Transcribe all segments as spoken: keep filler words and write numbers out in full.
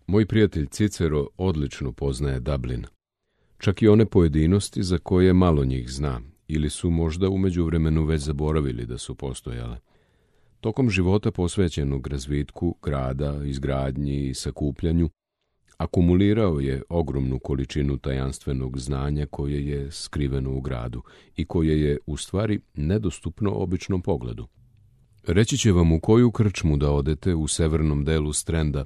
Moj prijatelj Cicero odlično poznaje Dublin. Čak i one pojedinosti za koje malo njih zna, ili su možda u međuvremenu već zaboravili da su postojale. Tokom života posvećenog razvitku grada, izgradnji i sakupljanju, akumulirao je ogromnu količinu tajanstvenog znanja koje je skriveno u gradu i koje je, u stvari, nedostupno običnom pogledu. Reći će vam u koju krčmu da odete u severnom delu Strenda,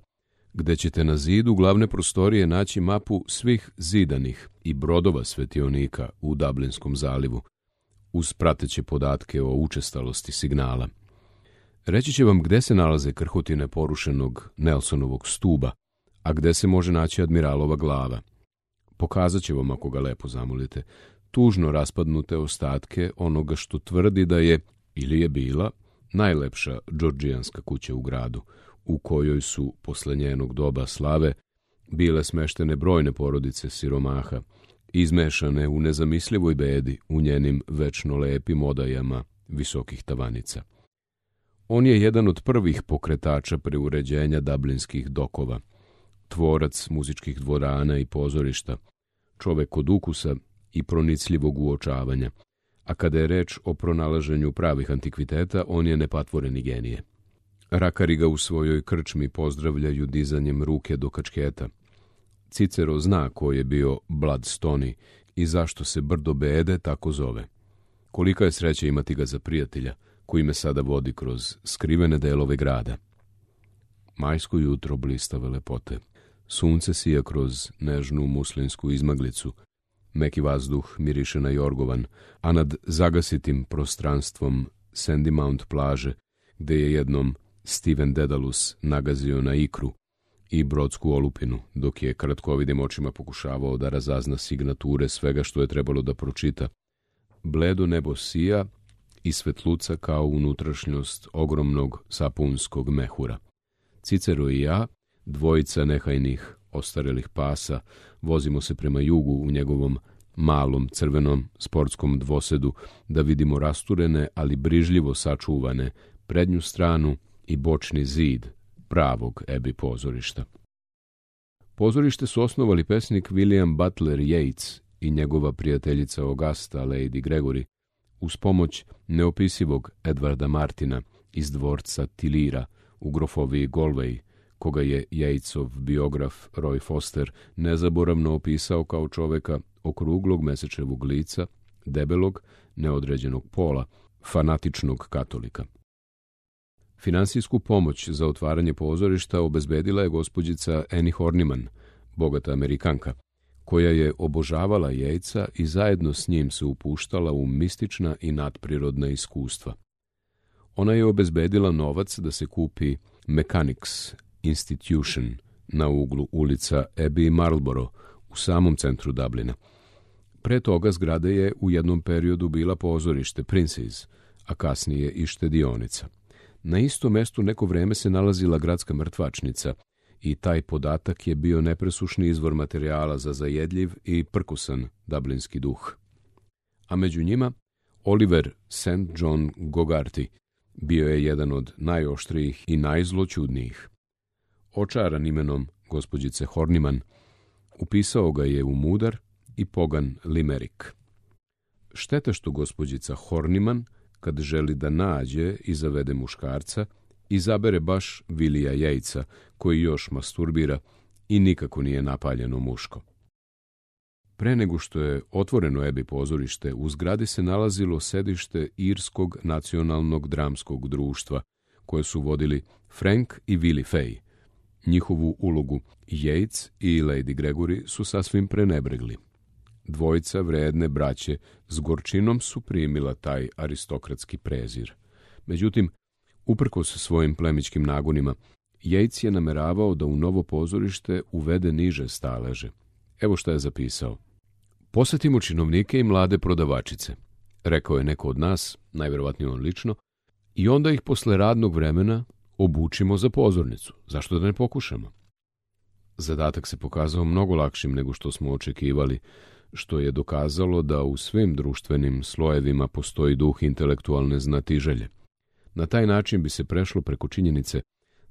gde ćete na zidu glavne prostorije naći mapu svih zidanih i brodova svetionika u Dublinskom zalivu, uz prateće podatke o učestalosti signala. Reći će vam gde se nalaze krhotine porušenog Nelsonovog stuba, a gde se može naći admiralova glava. Pokazat će vam, ako ga lepo zamolite, tužno raspadnute ostatke onoga što tvrdi da je, ili je bila, najlepša džordžijanska kuća u gradu, u kojoj su, posle njenog doba slave, bile smeštene brojne porodice siromaha, izmešane u nezamislivoj bedi u njenim večno lepim odajama visokih tavanica. On je jedan od prvih pokretača preuređenja dublinskih dokova, tvorac muzičkih dvorana i pozorišta, čovek od ukusa i pronicljivog uočavanja, a kada je reč o pronalaženju pravih antikviteta, on je nepatvoreni genije. Rakari ga u svojoj krčmi pozdravljaju dizanjem ruke do kačketa. Cicero zna ko je bio Bloodstone i zašto se brdo bede tako zove. Kolika je sreća imati ga za prijatelja, koji me sada vodi kroz skrivene delove grada. Majsko jutro blistave lepote. Sunce sija kroz nežnu muslinsku izmaglicu. Meki vazduh miriše na jorgovan, a nad zagasitim prostranstvom Sandy Mount plaže, gde je jednom Steven Dedalus nagazio na ikru i brodsku olupinu, dok je kratkovidim očima pokušavao da razazna signature svega što je trebalo da pročita. Bledo nebo sija i svetluca kao unutrašnjost ogromnog sapunskog mehura. Cicero i ja, dvojica nehajnih ostarelih pasa, vozimo se prema jugu u njegovom malom crvenom sportskom dvosedu da vidimo rasturene, ali brižljivo sačuvane prednju stranu i bočni zid pravog Abbey pozorišta. Pozorište su osnovali pesnik William Butler Yeats i njegova prijateljica Augusta, Lady Gregory, uz pomoć neopisivog Edwarda Martina iz dvorca Tilira u grofoviji Galway, koga je Yeatsov biograf Roy Foster nezaboravno opisao kao čoveka okruglog mesečevog lica, debelog, neodređenog pola, fanatičnog katolika. Finansijsku pomoć za otvaranje pozorišta obezbedila je gospođica Annie Horniman, bogata Amerikanka, koja je obožavala Yeatsa i zajedno s njim se upuštala u mistična i nadprirodna iskustva. Ona je obezbedila novac da se kupi Mechanics Institution na uglu ulica Abbey i Marlborough u samom centru Dublina. Pre toga zgrada je u jednom periodu bila pozorište Princes, a kasnije i štedionica. Na istom mestu neko vreme se nalazila gradska mrtvačnica i taj podatak je bio nepresušni izvor materijala za zajedljiv i prkusan dublinski duh. A među njima Oliver Saint John Gogarty bio je jedan od najoštrijih i najzloćudnijih. Očaran imenom gospođice Horniman, upisao ga je u mudar i pogan limerik. Šteta što gospođica Horniman, kad želi da nađe i zavede muškarca, izabere baš Willija Yeatsa, koji još masturbira i nikako nije napaljeno muško. Pre nego što je otvoreno Abbey pozorište, u zgradi se nalazilo sedište Irskog nacionalnog dramskog društva, koje su vodili Frank i Willie Fay. Njihovu ulogu Yeats i Lady Gregory su sasvim prenebregli. Dvojica vredne braće s gorčinom su primila taj aristokratski prezir. Međutim, uprkos svojim plemićkim nagonima, Yeats je nameravao da u novo pozorište uvede niže staleže. Evo šta je zapisao. Posetimo činovnike i mlade prodavačice, rekao je neko od nas, najverovatnije on lično, i onda ih posle radnog vremena obučimo za pozornicu. Zašto da ne pokušamo? Zadatak se pokazao mnogo lakšim nego što smo očekivali, što je dokazalo da u svim društvenim slojevima postoji duh intelektualne znatiželje. Na taj način bi se prešlo preko činjenice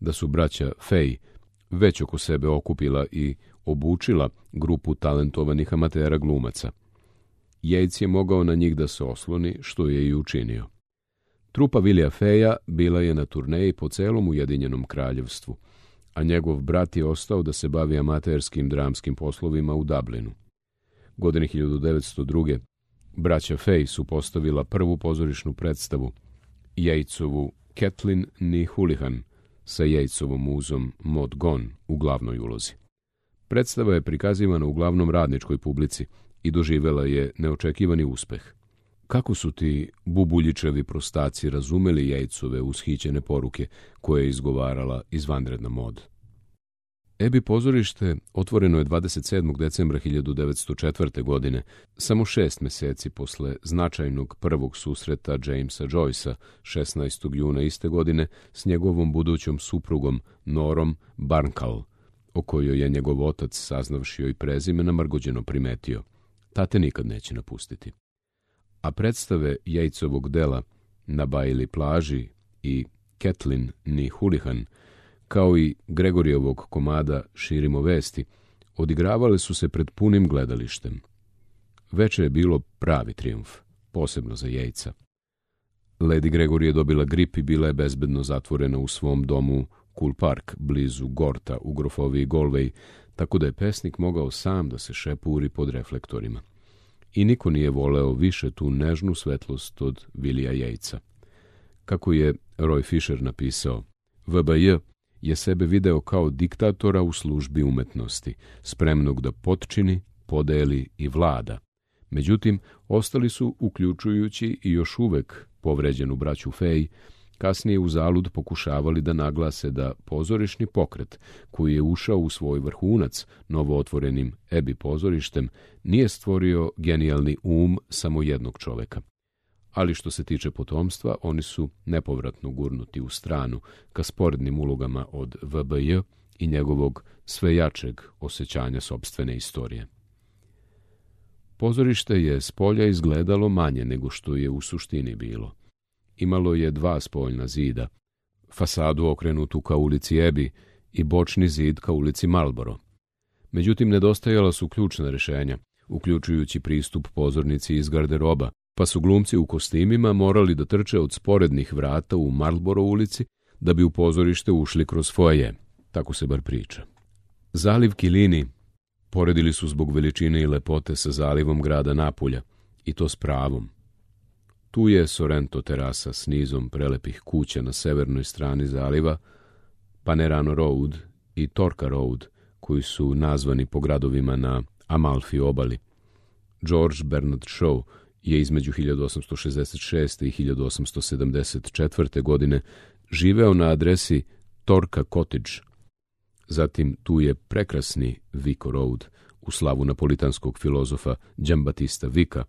da su braća Fay već oko sebe okupila i obučila grupu talentovanih amatera glumaca. Yates je mogao na njih da se osloni, što je i učinio. Trupa Willija Feja bila je na turneji po celom Ujedinjenom kraljevstvu, a njegov brat je ostao da se bavi amaterskim dramskim poslovima u Dublinu. Godine hiljadu devetsto druge. braća Fej su postavila prvu pozorišnu predstavu, Yatesovu Kathleen ni Houlihan, sa Yatesovom muzom Maud Gonne u glavnoj ulozi. Predstava je prikazivana uglavnom radničkoj publici i doživela je neočekivani uspeh. Kako su ti bubuljičevi prostaci razumeli Yatesove ushićene poruke koje je izgovarala izvanredna Maud? Abbey pozorište otvoreno je dvadeset sedmog decembra hiljadu devetsto četvrte. godine, samo šest meseci posle značajnog prvog susreta Jamesa Joycea šesnaestog juna iste godine s njegovom budućom suprugom Norom Barnkal, o kojoj je njegov otac, saznavši joj prezime, namrgođeno primetio: tate nikad neće napustiti. A predstave Yatesovog dela Na Bailey plaži i Kathleen ni Houlihan, kao i Gregorijevog komada Širimo vesti, odigravale su se pred punim gledalištem. Veče je bilo pravi trijumf, posebno za Yatesa. Lady Gregory je dobila grip i bila je bezbedno zatvorena u svom domu Cool Park, blizu Gorta u grofoviji Galway, tako da je pesnik mogao sam da se šepuri pod reflektorima. I niko nije voleo više tu nežnu svetlost od Willija Yatesa. Kako je Roy Fisher napisao, V B J je sebe video kao diktatora u službi umetnosti, spremnog da potčini, podeli i vlada. Međutim, ostali su, uključujući i još uvek povređenu braću Fej, kasnije u zalud pokušavali da naglase da pozorišni pokret, koji je ušao u svoj vrhunac novootvorenim Abbey pozorištem, nije stvorio genijalni um samo jednog čoveka. Ali što se tiče potomstva, oni su nepovratno gurnuti u stranu ka sporednim ulogama od V B J i njegovog sve jačeg osjećanja sopstvene istorije. Pozorište je s polja izgledalo manje nego što je u suštini bilo. Imalo je dva spoljna zida, fasadu okrenutu ka ulici Abbey i bočni zid ka ulici Marlborough. Međutim, nedostajala su ključna rešenja, uključujući pristup pozornici iz garderoba, pa su glumci u kostimima morali da trče od sporednih vrata u Marlborough ulici da bi u pozorište ušli kroz foaje, tako se bar priča. Zaliv Kilini poredili su zbog veličine i lepote sa zalivom grada Napulja, i to s pravom. Tu je Sorrento terasa s nizom prelepih kuća na severnoj strani zaliva, Panerano Road i Torka Road, koji su nazvani po gradovima na Amalfi obali. George Bernard Shaw je između hiljadu osamsto šezdeset šeste. i hiljadu osamsto sedamdeset četvrte. godine živeo na adresi Torka Cottage. Zatim tu je prekrasni Vico Road u slavu napolitanskog filozofa Giambattista Vicca,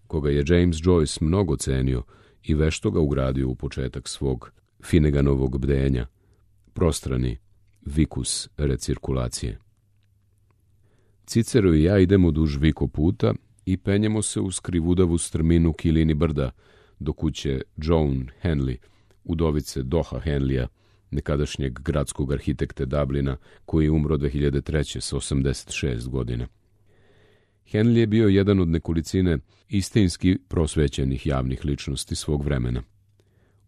koga je James Joyce mnogo cenio i vešto ga ugradio u početak svog Finneganovog bdenja, prostrani Vicus recirkulacije. Cicero i ja idemo duž Vico puta i penjemo se uz krivudavu strminu Kilini brda do kuće Joan Henley, udovice Doha Henleya, nekadašnjeg gradskog arhitekte Dublina, koji je umro dve hiljade treće. sa osamdeset šest godina. Henley je bio jedan od nekolicine istinski prosvećenih javnih ličnosti svog vremena.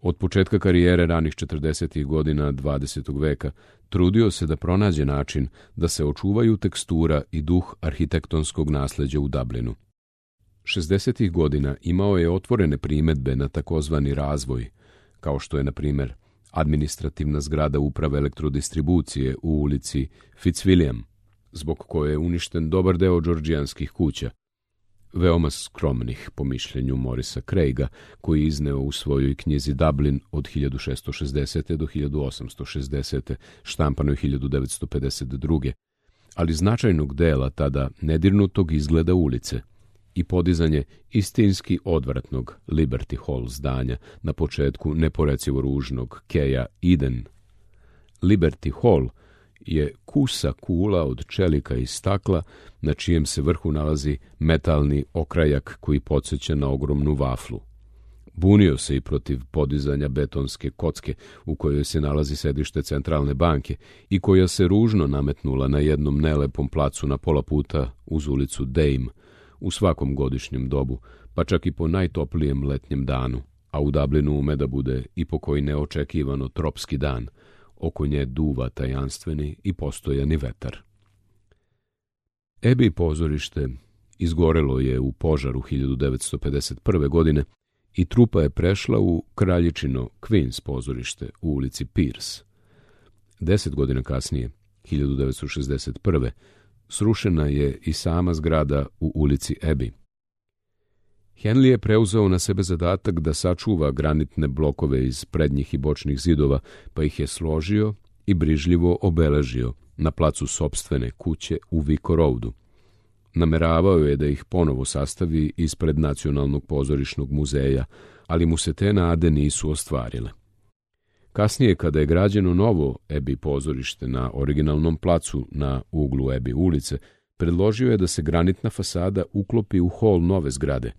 Od početka karijere ranih četrdesetih godina dvadesetog veka trudio se da pronađe način da se očuvaju tekstura i duh arhitektonskog nasleđa u Dublinu. šezdesetih godina imao je otvorene primedbe na takozvani razvoj, kao što je, na primer, administrativna zgrada uprave elektrodistribucije u ulici Fitzwilliam, zbog koje je uništen dobar deo džordžijanskih kuća, veoma skromnih po mišljenju Morisa Craiga, koji je izneo u svojoj knjizi Dublin od hiljadu šessto šezdesete. do hiljadu osamsto šezdesete. štampanoj hiljadu devetsto pedeset druge. ali značajnog dela tada nedirnutog izgleda ulice i podizanje istinski odvratnog Liberty Hall zdanja na početku neporecivo ružnog keja Eden. Liberty Hall je kusa kula od čelika i stakla, na čijem se vrhu nalazi metalni okrajak koji podsjeća na ogromnu vaflu. Bunio se i protiv podizanja betonske kocke u kojoj se nalazi sedište centralne banke i koja se ružno nametnula na jednom nelepom placu na pola puta uz ulicu Dame u svakom godišnjem dobu, pa čak i po najtoplijem letnjem danu, a u Dublinu ume da bude i po koji neočekivano tropski dan, oko nje duva tajanstveni i postojani vetar. Abbey pozorište izgorelo je u požaru hiljadu devetsto pedeset prve. godine i trupa je prešla u kraljičino Queen's pozorište u ulici Pierce. Deset godina kasnije, hiljadu devetsto šezdeset prve. srušena je i sama zgrada u ulici Abbey. Henley je preuzeo na sebe zadatak da sačuva granitne blokove iz prednjih i bočnih zidova, pa ih je složio i brižljivo obeležio na placu sopstvene kuće u Vico Roadu. Nameravao je da ih ponovo sastavi ispred Nacionalnog pozorišnog muzeja, ali mu se te nade nisu ostvarile. Kasnije, kada je građeno novo Abbey pozorište na originalnom placu na uglu Abbey ulice, predložio je da se granitna fasada uklopi u hol nove zgrade.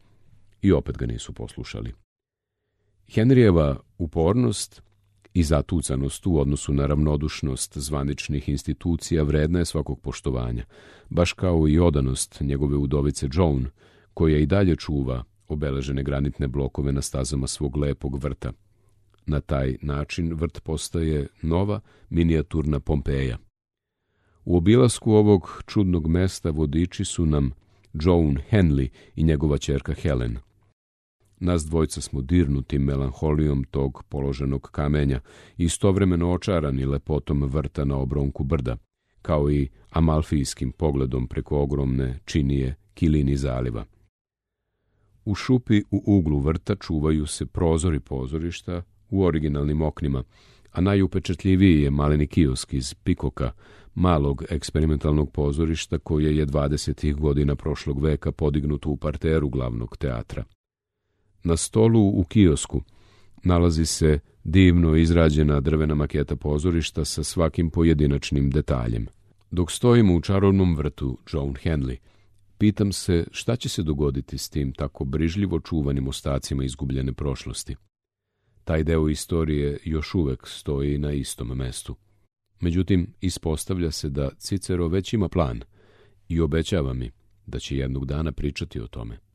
I opet ga nisu poslušali. Henrijeva upornost i zatucanost u odnosu na ravnodušnost zvaničnih institucija vredna je svakog poštovanja, baš kao i odanost njegove udovice Joan, koja i dalje čuva obeležene granitne blokove na stazama svog lepog vrta. Na taj način vrt postaje nova minijaturna Pompeja. U obilasku ovog čudnog mesta vodiči su nam Joan Henley i njegova ćerka Helen. Nas dvojca smo dirnuti melanholijom tog položenog kamenja i istovremeno očarani lepotom vrta na obronku brda, kao i amalfijskim pogledom preko ogromne činije Kilini zaliva. U šupi u uglu vrta čuvaju se prozori pozorišta u originalnim oknima, a najupečatljiviji je maleni kiosk iz Pikoka, malog eksperimentalnog pozorišta koje je dvadesetih godina prošlog veka podignuto u parteru glavnog teatra. Na stolu u kiosku nalazi se divno izrađena drvena maketa pozorišta sa svakim pojedinačnim detaljem. Dok stojimo u čarovnom vrtu Joan Henley, pitam se šta će se dogoditi s tim tako brižljivo čuvanim ostacima izgubljene prošlosti. Taj deo istorije još uvek stoji na istom mestu. Međutim, ispostavlja se da Cicero već ima plan i obećava mi da će jednog dana pričati o tome.